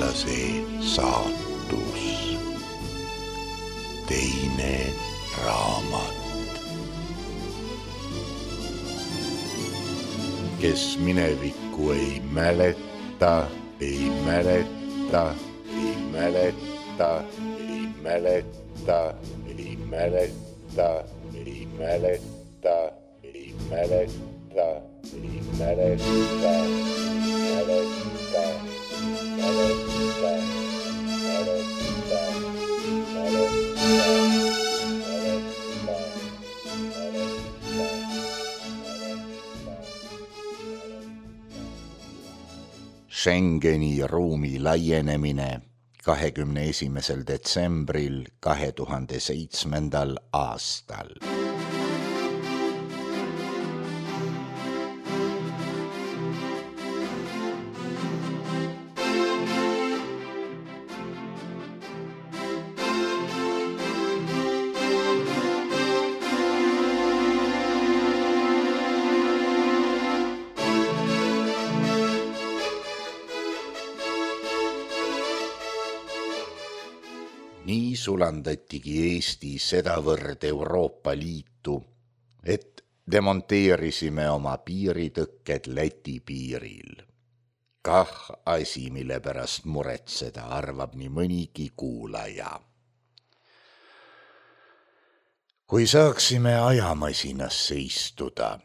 eestlase saatus. Teine raamat. Kes minevikku ei mäleta, ei mäleta, ei mäleta, ei mäleta, ei mäleta, ei mäleta, ei mäleta, ei mäleta, Schengeni ruumi laienemine 21. detsembril 2007. aastal. Nii sulandatigi Eesti sedavõrd Euroopa Liitu, et demonteerisime oma piiritõkked Läti piiril. Kah asi, mille pärast muretseda, arvab nii mõnigi kuulaja. Kui saaksime ajamasinasse istuda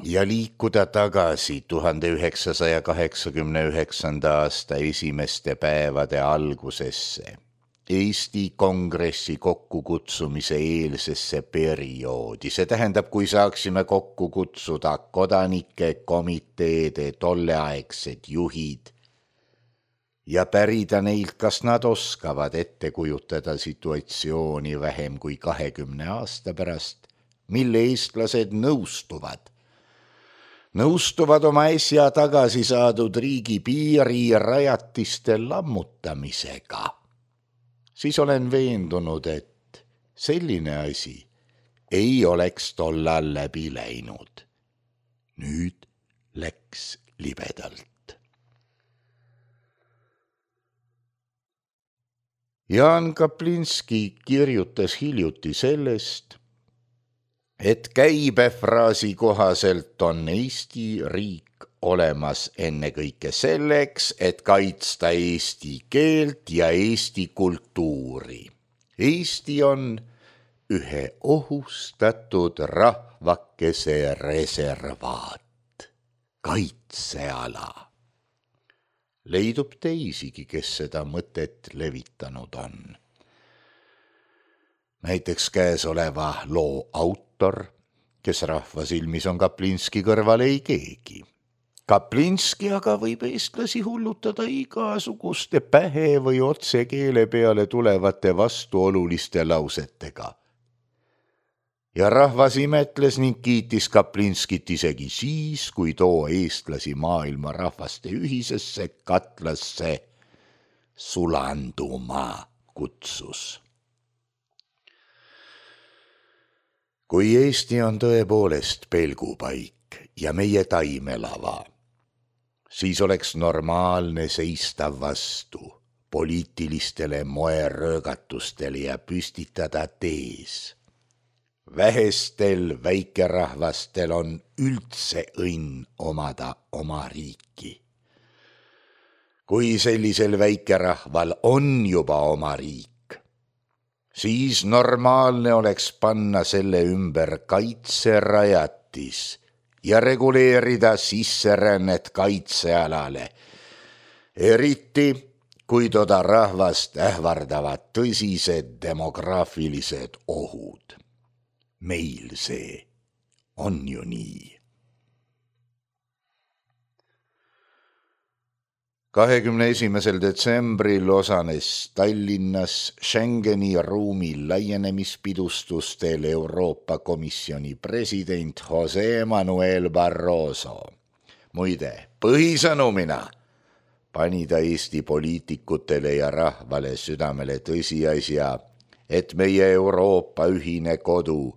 ja liikuda tagasi 1989. aasta esimeste päevade algusesse, Eesti Kongressi kokkukutsumise eelsesse perioodi, see tähendab, kui saaksime kokku kutsuda kodanike komiteede tolleaegsed juhid ja pärida neilt, kas nad oskavad ette kujutada situatsiooni vähem kui 20 aasta pärast, mille eestlased nõustuvad oma äsja tagasi saadud riigi piirirajatiste lammutamisega, siis olen veendunud, et selline asi ei oleks tollal läbi läinud. Nüüd läks libedalt. Jaan Kaplinski kirjutas hiljuti sellest, et käibefraasi kohaselt on Eesti riik olemas ennekõike selleks, et kaitsta eesti keelt ja eesti kultuuri. Eesti on ühe ohustatud rahvakese reservaat, kaitseala. Leidub teisigi, kes seda mõtet levitanud on. Näiteks käesoleva loo autor, kes rahva silmis on Kaplinski kõrval ei keegi. Kaplinski aga võib eestlasi hullutada igasuguste pähe või otse keele peale tulevate vastuoluliste lausetega. Ja rahvas imetles ning kiitis Kaplinskit isegi siis, kui too eestlasi maailma rahvaste ühisesse katlasse sulanduma kutsus. Kui Eesti on tõepoolest pelgupaik ja meie taimelava, siis oleks normaalne seista vastu poliitilistele moeröögatustele ja püstitada tees. Vähestel väikerahvastel on üldse õnn omada oma riiki. Kui sellisel väikerahval on juba oma riik, siis normaalne oleks panna selle ümber kaitserajatis ja reguleerida sisserännet kaitsealale, eriti kui toda rahvast ähvardavad tõsised demograafilised ohud. Meil see on ju nii. 21. detsembril osanes Tallinnas Schengeni ruumi laienemispidustustel Euroopa Komisjoni president Jose Manuel Barroso. Muide, põhisõnumina pani ta Eesti poliitikutele ja rahvale südamele tõsiasja, et meie Euroopa ühine kodu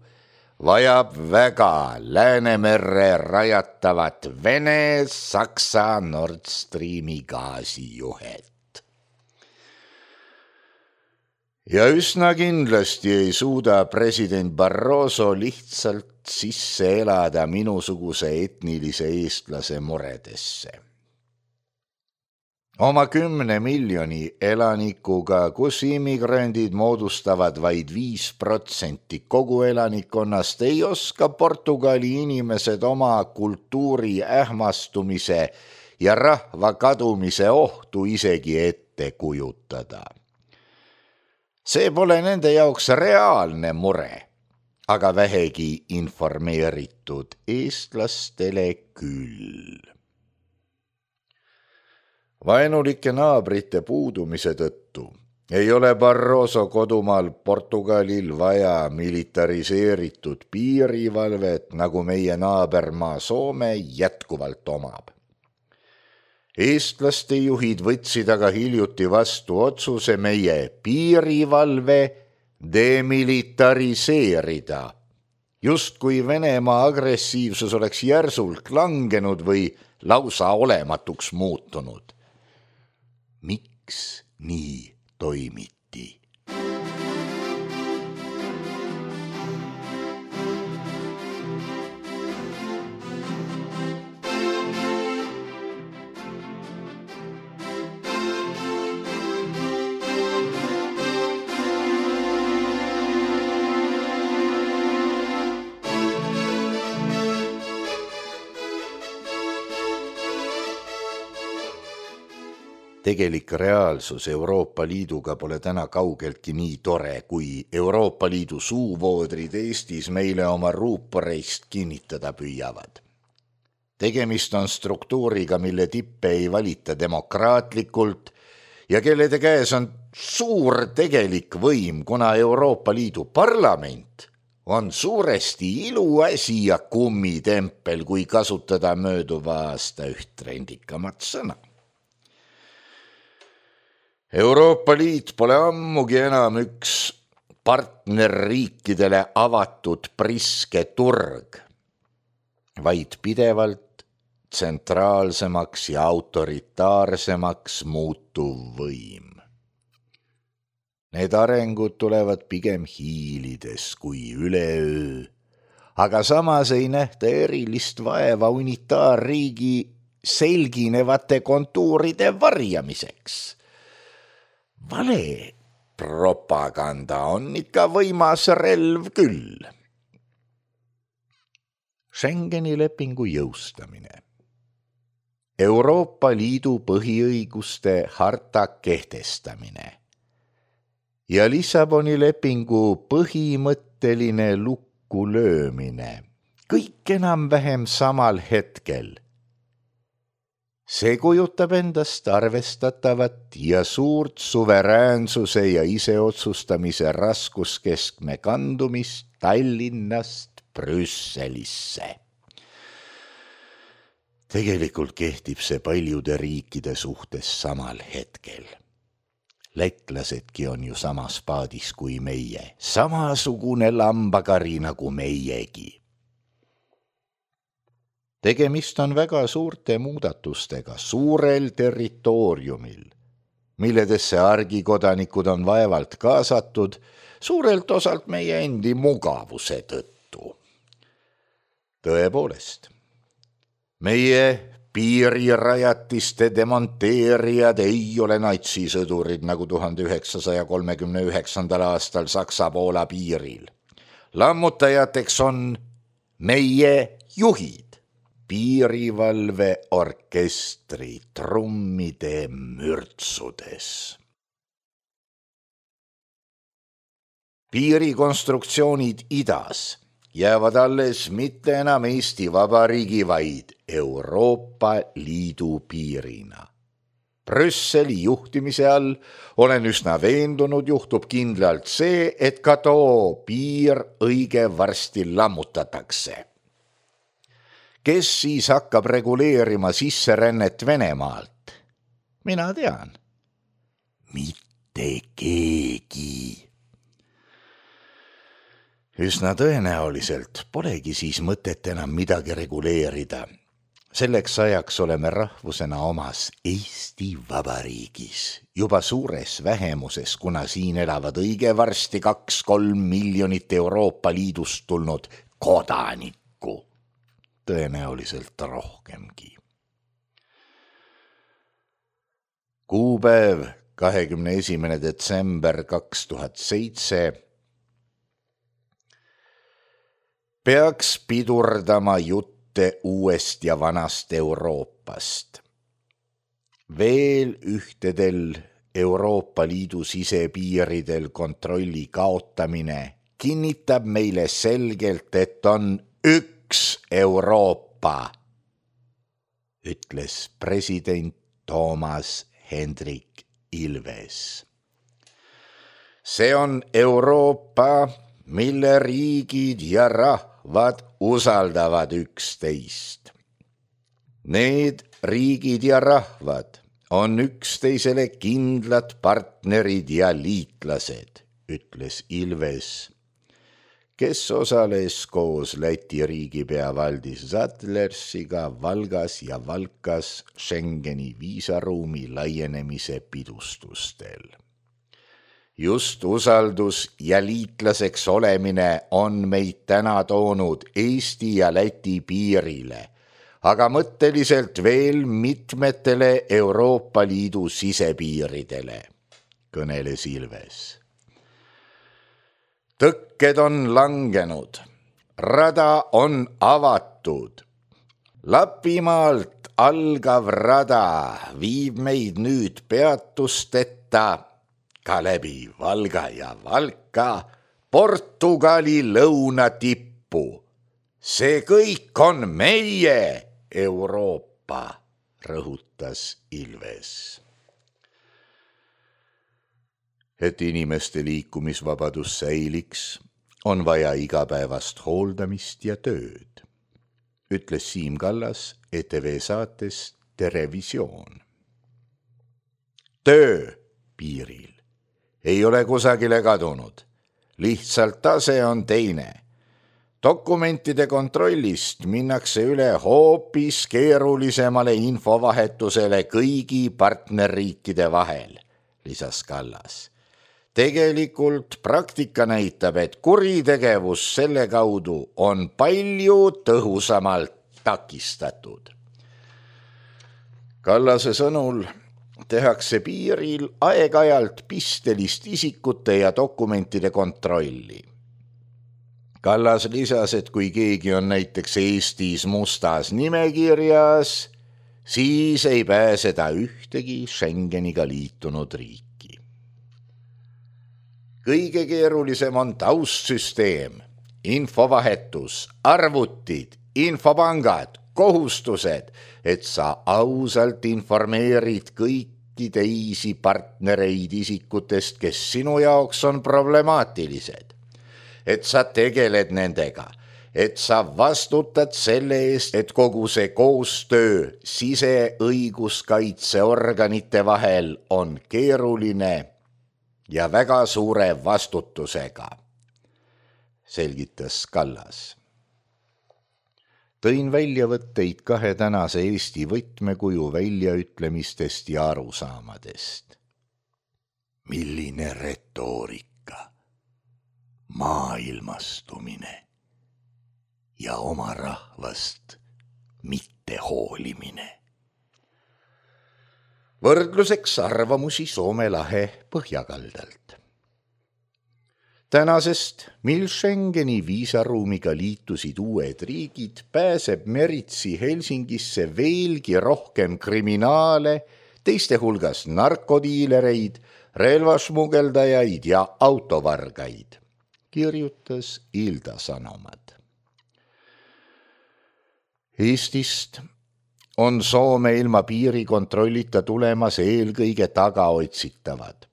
vajab väga Läänemerre rajatavat Vene-Saksa Nord Streami gaasijuhet. Ja üsna kindlasti ei suuda president Barroso lihtsalt sisse elada minusuguse etnilise eestlase muredesse. Oma 10 miljoni elanikuga, kus immigrandid moodustavad vaid 5% kogu elanikkonnast, ei oska Portugali inimesed oma kultuuri ähmastumise ja rahva kadumise ohtu isegi ette kujutada. See pole nende jaoks reaalne mure, aga vähegi informeeritud eestlastele küll. Vaenulike naabrite puudumise tõttu ei ole Barroso kodumaal Portugalil vaja militariseeritud piirivalvet, nagu meie naabermaa Soome jätkuvalt omab. Eestlaste juhid võtsid aga hiljuti vastu otsuse meie piirivalve demilitariseerida, justkui Venemaa agressiivsus oleks järsult langenud või lausa olematuks muutunud. Miks nii toimiti? Tegelik reaalsus Euroopa Liiduga pole täna kaugeltki nii tore, kui Euroopa Liidu suuvoodrid Eestis meile oma ruuporeist kinnitada püüavad. Tegemist on struktuuriga, mille tippe ei valita demokraatlikult ja kellede käes on suur tegelik võim, kuna Euroopa Liidu parlament on suuresti iluasi ja kummitempel, kui kasutada mööduva aasta üht trendikamat sõna. Euroopa Liit pole ammugi enam üks partnerriikidele avatud priske turg, vaid pidevalt tsentraalsemaks ja autoritaarsemaks muutuv võim. Need arengud tulevad pigem hiilides kui üleöö, aga samas ei nähta erilist vaeva unitaarriigi selginevate kontuuride varjamiseks. Vale propaganda on ikka võimas relv küll. Schengeni lepingu jõustamine. Euroopa Liidu põhiõiguste harta kehtestamine ja Lissaboni lepingu põhimõtteline lukku löömine. Kõik enam-vähem samal hetkel. See kujutab endast arvestatavat ja suurt suveräänsuse ja iseotsustamise raskuskeskme kandumist Tallinnast Brüsselisse. Tegelikult kehtib see paljude riikide suhtes samal hetkel. Lätlasedki on ju samas paadis kui meie, samasugune lambakari nagu meiegi. Tegemist on väga suurte muudatustega suurel territooriumil, milledesse argikodanikud on vaevalt kaasatud suurelt osalt meie endi mugavuse tõttu. Tõepoolest, meie piirirajatiste demonteerijad ei ole natsisõdurid nagu 1939. aastal Saksa-Poola piiril. Lammutajateks on meie juhid. Piirivalveorkestri trummide mürtsudes. Piirikonstruktsioonid idas jäävad alles mitte enam Eesti Vabariigi, vaid Euroopa Liidu piirina. Brüsseli juhtimise all olen üsna veendunud, juhtub kindlalt see, et ka too piir õige varsti lammutatakse. Kes siis hakkab reguleerima sisserännet Venemaalt? Mina tean. Mitte keegi. Üsna tõenäoliselt polegi siis mõtet enam midagi reguleerida, Selleks ajaks oleme rahvusena omas Eesti Vabariigis juba suures vähemuses, kuna siin elavad õige varsti 2-3 miljonit Euroopa Liidust tulnud kodanikku, tõenäoliselt rohkemgi. Kuupäev 21. detsember 2007 peaks pidurdama jutte uuest ja vanast Euroopast. Veel ühtedel Euroopa Liidu sisepiiridel kontrolli kaotamine kinnitab meile selgelt, et on üks Euroopa, ütles president Toomas Hendrik Ilves. See on Euroopa, mille riigid ja rahvad usaldavad üksteist. Need riigid ja rahvad on üksteisele kindlad partnerid ja liitlased, ütles Ilves, kes osales koos Läti riigipea Valdis Zadlersiga Valgas ja Valkas Schengeni viisaruumi laienemise pidustustel. Just usaldus ja liitlaseks olemine on meid täna toonud Eesti ja Läti piirile, aga mõtteliselt veel mitmetele Euroopa Liidu sisepiiridele, kõneles Ilves. Tõkked on langenud, rada on avatud. Lapimaalt algav rada viib meid nüüd peatusteta ka läbi Valga ja Valka Portugali lõunatippu. See kõik on meie Euroopa, rõhutas Ilves. Et inimeste liikumisvabadus säiliks, on vaja igapäevast hooldamist ja tööd, ütles Siim Kallas ETV saates Terevisioon. Töö piiril ei ole kusagile kadunud, lihtsalt tase on teine. Dokumentide kontrollist minnakse üle hoopis keerulisemale infovahetusele kõigi partnerriikide vahel, lisas Kallas. Tegelikult praktika näitab, et kuritegevus selle kaudu on palju tõhusamalt takistatud. Kallase sõnul tehakse piiril aeg-ajalt pistelist isikute ja dokumentide kontrolli. Kallas lisas, et kui keegi on näiteks Eestis mustas nimekirjas, siis ei pääse ta ühtegi Schengeniga liitunud riiki. Kõige keerulisem on taustsüsteem, infovahetus, arvutid, infopangad, kohustused, et sa ausalt informeerid kõiki teisi partnereid isikutest, kes sinu jaoks on problemaatilised. Et sa tegeled nendega, et sa vastutad selle eest, et kogu see koostöö siseõiguskaitseorganite vahel on keeruline ja väga suure vastutusega, selgitas Kallas. Tõin väljavõtteid kahe tänase Eesti võtmekuju väljaütlemistest ja arusaamadest. Milline retoorika, maailmastumine ja oma rahvast mitte hoolimine. Võrdluseks arvamusi Soome lahe põhjakaldalt. Tänasest, mil Schengeni viisaruumiga liitusid uued riigid, pääseb meritsi Helsingisse veelgi rohkem kriminaale, teiste hulgas narkodiilereid, relvasmugeldajaid ja autovargaid, kirjutas Ilda Sanomat. Eestist on Soome ilma piirikontrollita tulemas eelkõige tagaotsitavad.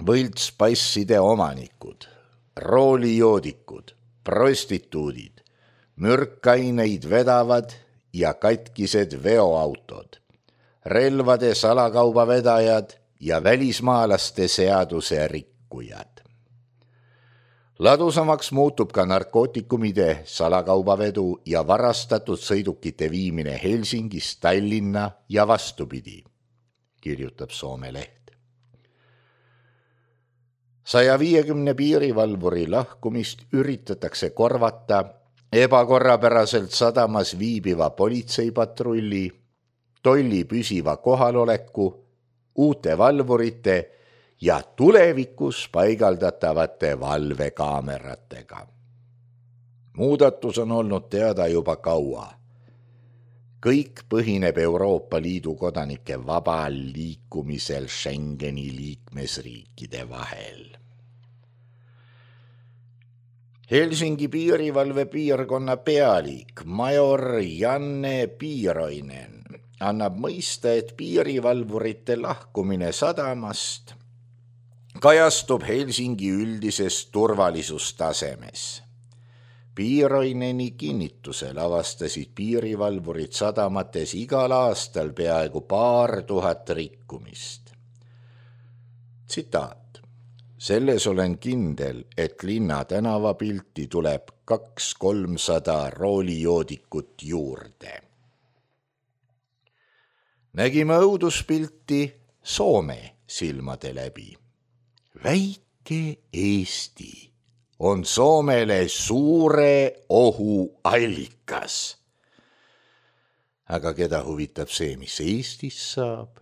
Võltspasside omanikud, roolijoodikud, prostituudid, mürkaineid vedavad ja katkised veoautod, relvade salakaubavedajad ja välismaalaste seaduse rikkujad. Ladusamaks muutub ka narkootikumide salakaubavedu ja varastatud sõidukite viimine Helsingist Tallinna ja vastupidi, kirjutab Soome leht. 150 piirivalvuri lahkumist üritatakse korvata ebakorrapäraselt sadamas viibiva politseipatrulli, tolli püsiva kohaloleku, uute valvurite ja tulevikus paigaldatavate valvekaameratega. Muudatus on olnud teada juba kaua. Kõik põhineb Euroopa Liidu kodanike vabal liikumisel Schengeni liikmesriikide vahel. Helsingi piirivalve piirkonna pealik major Janne Piiroinen annab mõista, et piirivalvurite lahkumine sadamast kajastub Helsingi üldises turvalisustasemes. Piiroineni kinnitusel avastasid piirivalvurid sadamates igal aastal peaaegu 2000 rikkumist. Tsitaat. Selles olen kindel, et linna tänavapilti tuleb 200-300 roolijoodikut juurde. Nägime õuduspilti Soome silmade läbi. Väike Eesti on Soomele suure ohu allikas. Aga keda huvitab see, mis Eestis saab?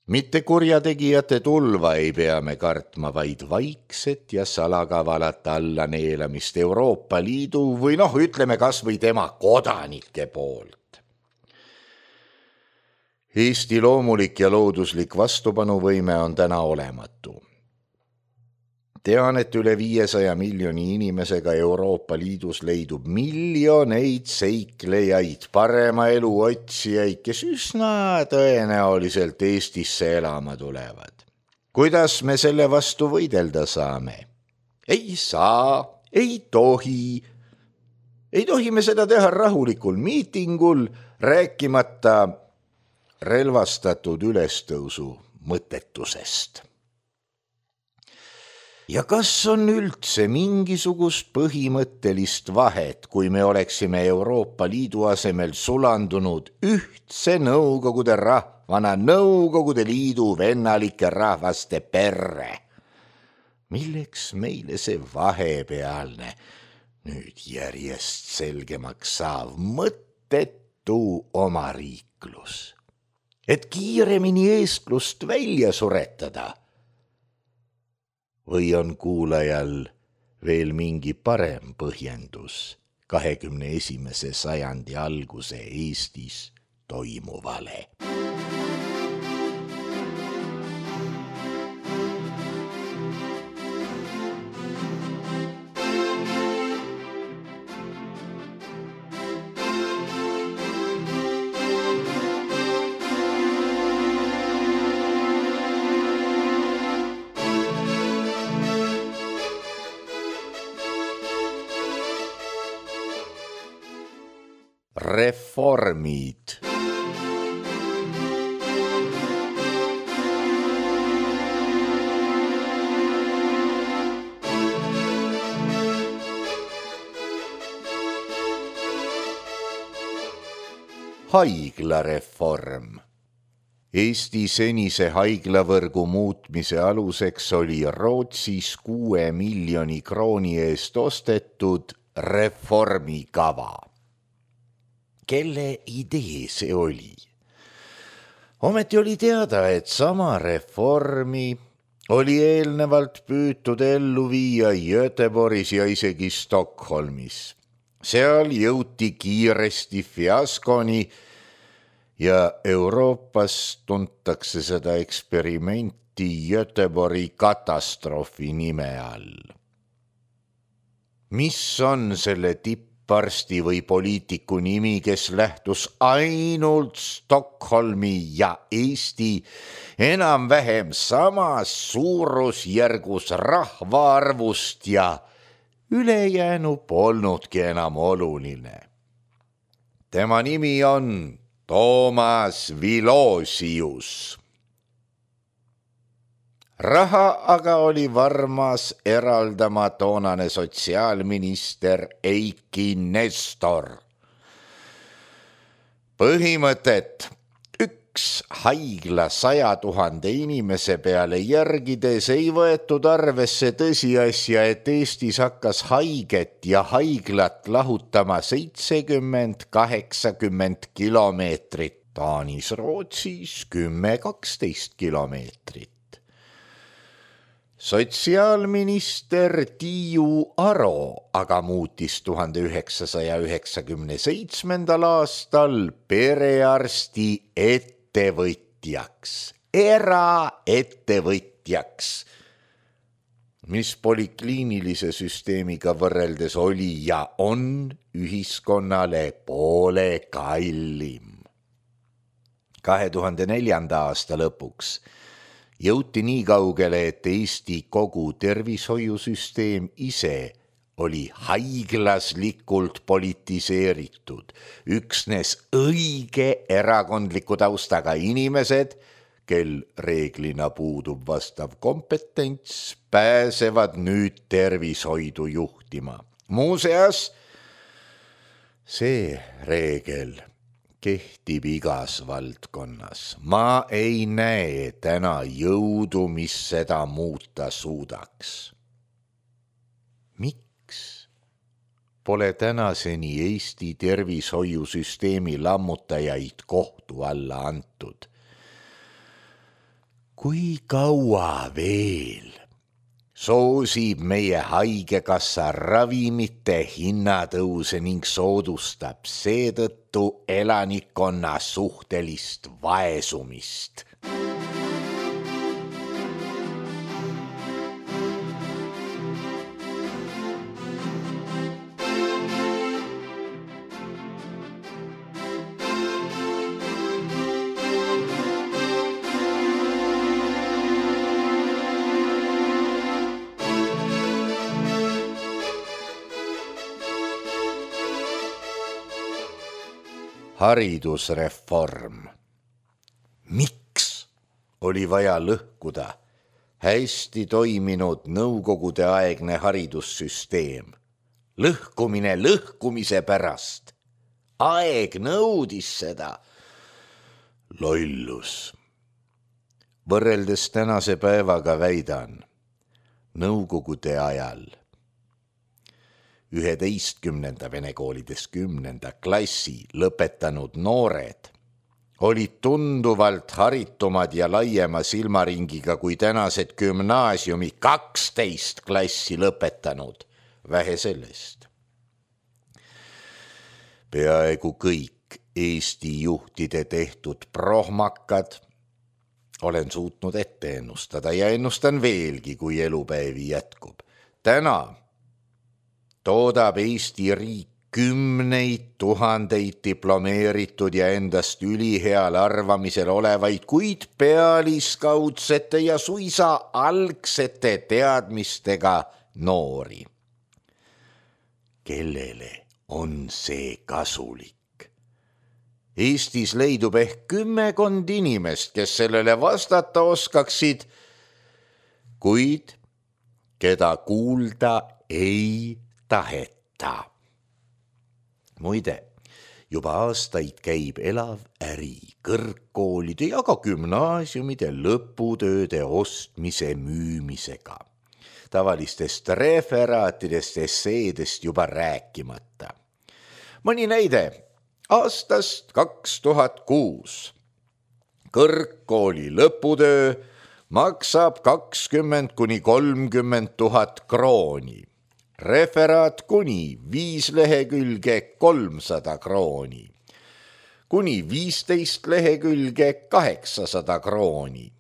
Mitte kurjategijate tulva ei pea me kartma, vaid vaikset ja salakavalat allaneelamist Euroopa Liidu või ütleme kas või tema kodanike poolt. Eesti loomulik ja looduslik vastupanuvõime on täna olematu. Tean, et üle 500 miljoni inimesega Euroopa Liidus leidub miljoneid seiklejaid, parema elu otsijaid, kes üsna tõenäoliselt Eestisse elama tulevad. Kuidas me selle vastu võidelda saame? Ei saa, ei tohi. Ei tohi me seda teha rahulikul miitingul, rääkimata relvastatud ülestõusu mõttetusest. Ja kas on üldse mingisugust põhimõttelist vahet, kui me oleksime Euroopa Liidu asemel sulandunud ühtse Nõukogude rahvana Nõukogude Liidu vennalike rahvaste perre? Milleks meile see vahepealne, nüüd järjest selgemaks saav mõttetu omariiklus? Et kiiremini eestlust välja suretada? Või on kuulajal veel mingi parem põhjendus 21. sajandi alguse Eestis toimuvale? Reformid. Haiglareform. Eesti senise haiglavõrgu muutmise aluseks oli Rootsis 6 miljoni krooni eest ostetud reformikava. Kelle idee see oli? Ometi oli teada, et sama reformi oli eelnevalt püütud ellu viia Göteborgis ja isegi Stockholmis. Seal jõuti kiiresti fiaskoni ja Euroopas tuntakse seda eksperimenti Göteborgi katastroofi nime all. Mis on selle tipparsti või poliitiku nimi, kes lähtus ainult Stockholmi ja Eesti enam-vähem samas suurusjärgus rahvaarvust ja ülejäänu polnudki enam oluline. Tema nimi on Toomas Vilosius. Raha aga oli varmas eraldama toonane sotsiaalminister Eiki Nestor. Põhimõtet üks haigla 100 000 inimese peale järgides ei võetud arvesse tõsiasja, et Eestis hakkas haiget ja haiglat lahutama 70-80 kilomeetrit, Taanis, Rootsis 10-12 kilomeetrit. Sotsiaalminister Tiiu Aro aga muutis 1997. aastal perearsti ettevõtjaks, eraettevõtjaks, mis polikliinilise süsteemiga võrreldes oli ja on ühiskonnale poole kallim. 2004. aasta lõpuks jõuti nii kaugele, et Eesti kogu tervishoiusüsteem ise oli haiglaslikult politiseeritud. Üksnes õige erakondliku taustaga inimesed, kel reeglina puudub vastav kompetents, pääsevad nüüd tervishoidu juhtima. Muuseas, see reegel kehtib igas valdkonnas. Ma ei näe täna jõudu, mis seda muuta suudaks. Miks pole tänaseni Eesti tervishoiusüsteemi lammutajaid kohtu alla antud? Kui kaua veel soosib meie haigekassa ravimite hinnatõuse ning soodustab seetõttu elanikkonna suhtelist vaesumist? Haridusreform. Miks oli vaja lõhkuda hästi toiminud nõukogudeaegne haridussüsteem? Lõhkumine lõhkumise pärast. Aeg nõudis seda. Lollus. Võrreldes tänase päevaga väidan, nõukogude ajal 11. vene koolides 10. klassi lõpetanud noored olid tunduvalt haritumad ja laiema silmaringiga kui tänased gümnaasiumi 12 klassi lõpetanud. Vähe sellest. Peaaegu kõik Eesti juhtide tehtud prohmakad olen suutnud ette ennustada ja ennustan veelgi, kui elupäevi jätkub. Täna toodab Eesti riik 10 000 diplomeeritud ja endast üliheal arvamisel olevaid, kuid pealiskaudsete ja suisa algsete teadmistega noori. Kellele on see kasulik? Eestis leidub ehk 10 inimest, kes sellele vastata oskaksid, kuid keda kuulda ei taheta. Muide, juba aastaid käib elav äri kõrgkoolide ja ka gümnaasiumide lõputööde ostmise müümisega. Tavalistest referaatidest, esseedest juba rääkimata. Mõni näide aastast 2006. Kõrgkooli lõputöö maksab 20 000 – 30 000 krooni. Referaat kuni 5 lehekülge 300 krooni. Kuni 15 lehekülge 800 krooni.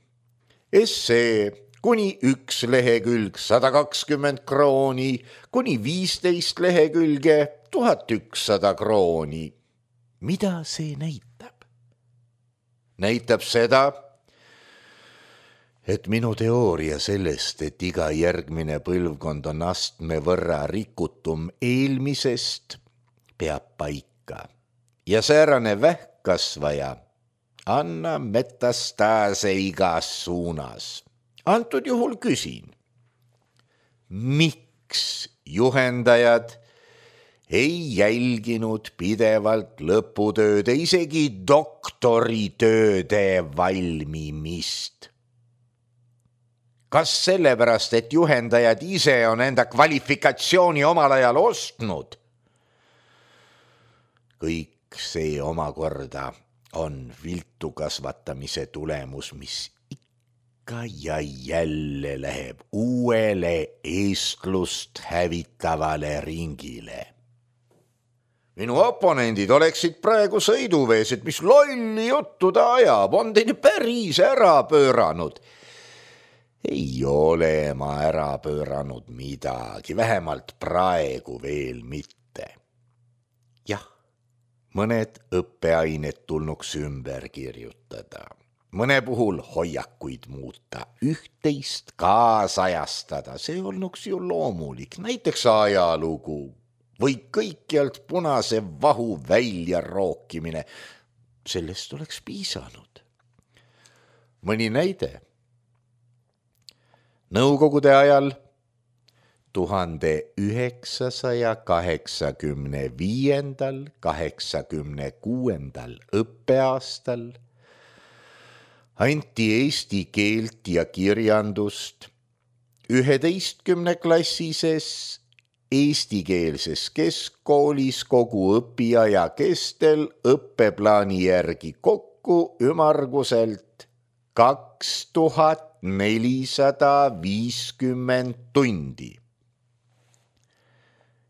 Essee kuni 1 lehekülg 120 krooni, kuni 15 lehekülge 1100 krooni. Mida see näitab? Näitab seda, et minu teooria sellest, et iga järgmine põlvkond on astme võrra rikutum eelmisest, peab paika. Ja säärane vähkkasvaja annab metastaase igas suunas. Antud juhul küsin, miks juhendajad ei jälginud pidevalt lõputööde, isegi doktoritööde valmimist? Kas sellepärast, et juhendajad ise on enda kvalifikatsiooni omal ajal ostnud? Kõik see omakorda on viltu kasvatamise tulemus, mis ikka ja jälle läheb uuele eestlust hävitavale ringile. Minu oponendid oleksid praegu sõiduvees, et mis lolli juttu ta ajab, on teine päris ära pööranud. Ei ole ma ära pööranud midagi, vähemalt praegu veel mitte. Jah, mõned õppeained tulnuks ümber kirjutada, mõne puhul hoiakuid muuta, üht-teist kaasajastada, see olnuks ju loomulik, näiteks ajalugu või kõikjalt punase vahu välja rookimine, sellest oleks piisanud. Mõni näide. Nõukogude ajal 1985–86 õppeaastal anti eesti keelt ja kirjandust 11-klassises eestikeelses keskkoolis kogu õpiaja kestel õppeplaani järgi kokku ümmarguselt 2450 tundi.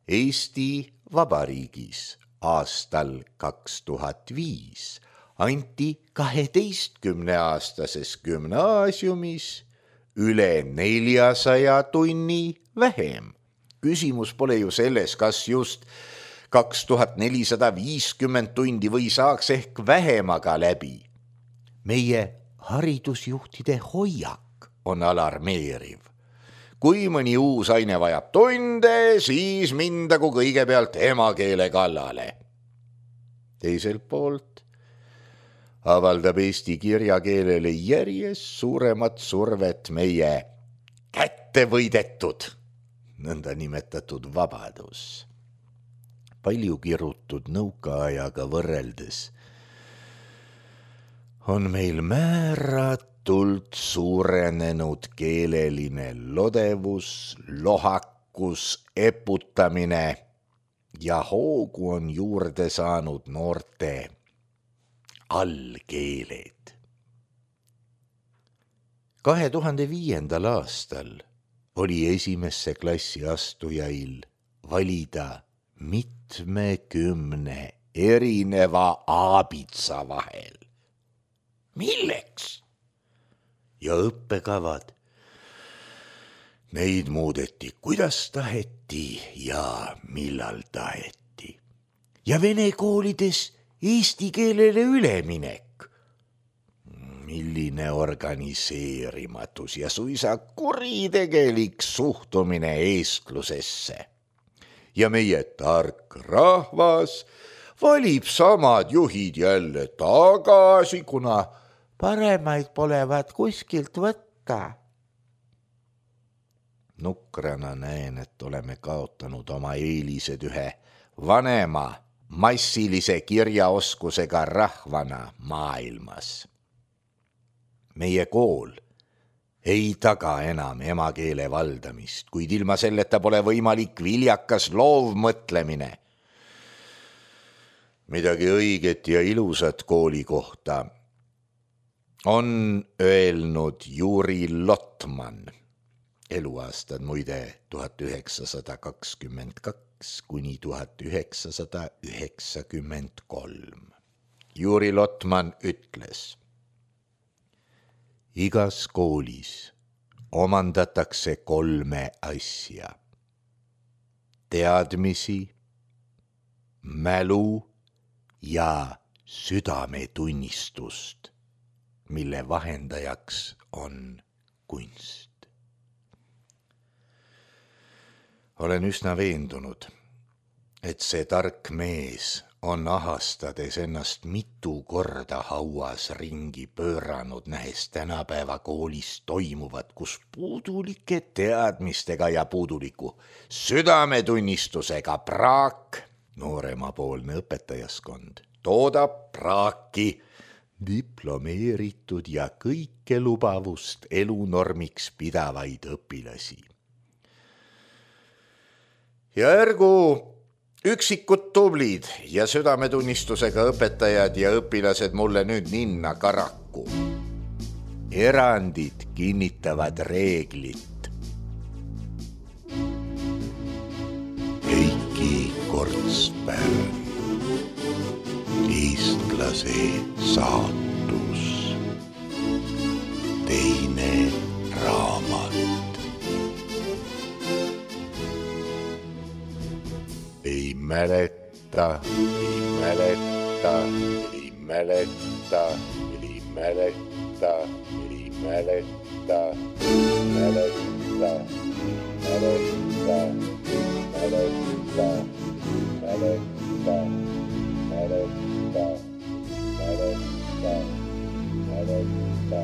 Eesti Vabariigis aastal 2005 anti 12-aastases gümnaasiumis üle 400 tunni vähem. Küsimus pole ju selles, kas just 2450 tundi või saaks ehk vähemaga läbi. Meie haridusjuhtide hoiak on alarmeeriv. Kui mõni uus aine vajab tunde, siis mindagu kõigepealt emakeele kallale. Teiselt poolt avaldab eesti kirjakeelele järjest suuremat survet meie kättevõidetud nõnda nimetatud vabadus. Palju kirutud nõukaajaga võrreldes on meil määratult suurenenud keeleline lodevus, lohakus, eputamine ja hoogu on juurde saanud noorte allkeeled. 2005. aastal oli esimesse klassi astujail valida mitmekümne erineva aabitsa vahel. Milleks? Ja õppekavad. Neid muudeti, kuidas taheti ja millal taheti. Ja vene koolides eesti keelele üleminek. Milline organiseerimatus ja suisa kuritegelik suhtumine eestlusesse. Ja meie tark rahvas valib samad juhid jälle tagasi, kuna paremaid polevat kuskilt võtta. Nukrana näen, et oleme kaotanud oma eelised ühe vanema massilise kirjaoskusega rahvana maailmas. Meie kool ei taga enam emakeele valdamist, kuid ilma selleta pole võimalik viljakas loovmõtlemine. Midagi õiget ja ilusat kooli kohta on öelnud Juri Lotman, eluaastad muide 1922–1993. Juri Lotman ütles: igas koolis omandatakse 3 asja: teadmisi, mälu ja südametunnistust, mille vahendajaks on kunst. Olen üsna veendunud, et see tark mees on ahastades ennast mitu korda hauas ringi pööranud, nähes tänapäeva koolis toimuvat, kus puudulike teadmistega ja puuduliku südametunnistusega praak, nooremapoolne õpetajaskond, toodab praaki diplomeeritud ja kõikelubavust elunormiks pidavaid õpilasi. Ja ergu üksikud tublid ja südametunnistusega õpetajad ja õpilased mulle nüüd ninna karaku. Erandid kinnitavad reeglit. Heiki Kortspärn, eestlase saatus, teine raamat. Ei mäleta, ei mäleta, ei mäleta, ei mäleta, ei mäleta, mäleta, mäleta, mäleta, mäleta, mäleta, mäleta, mäleta,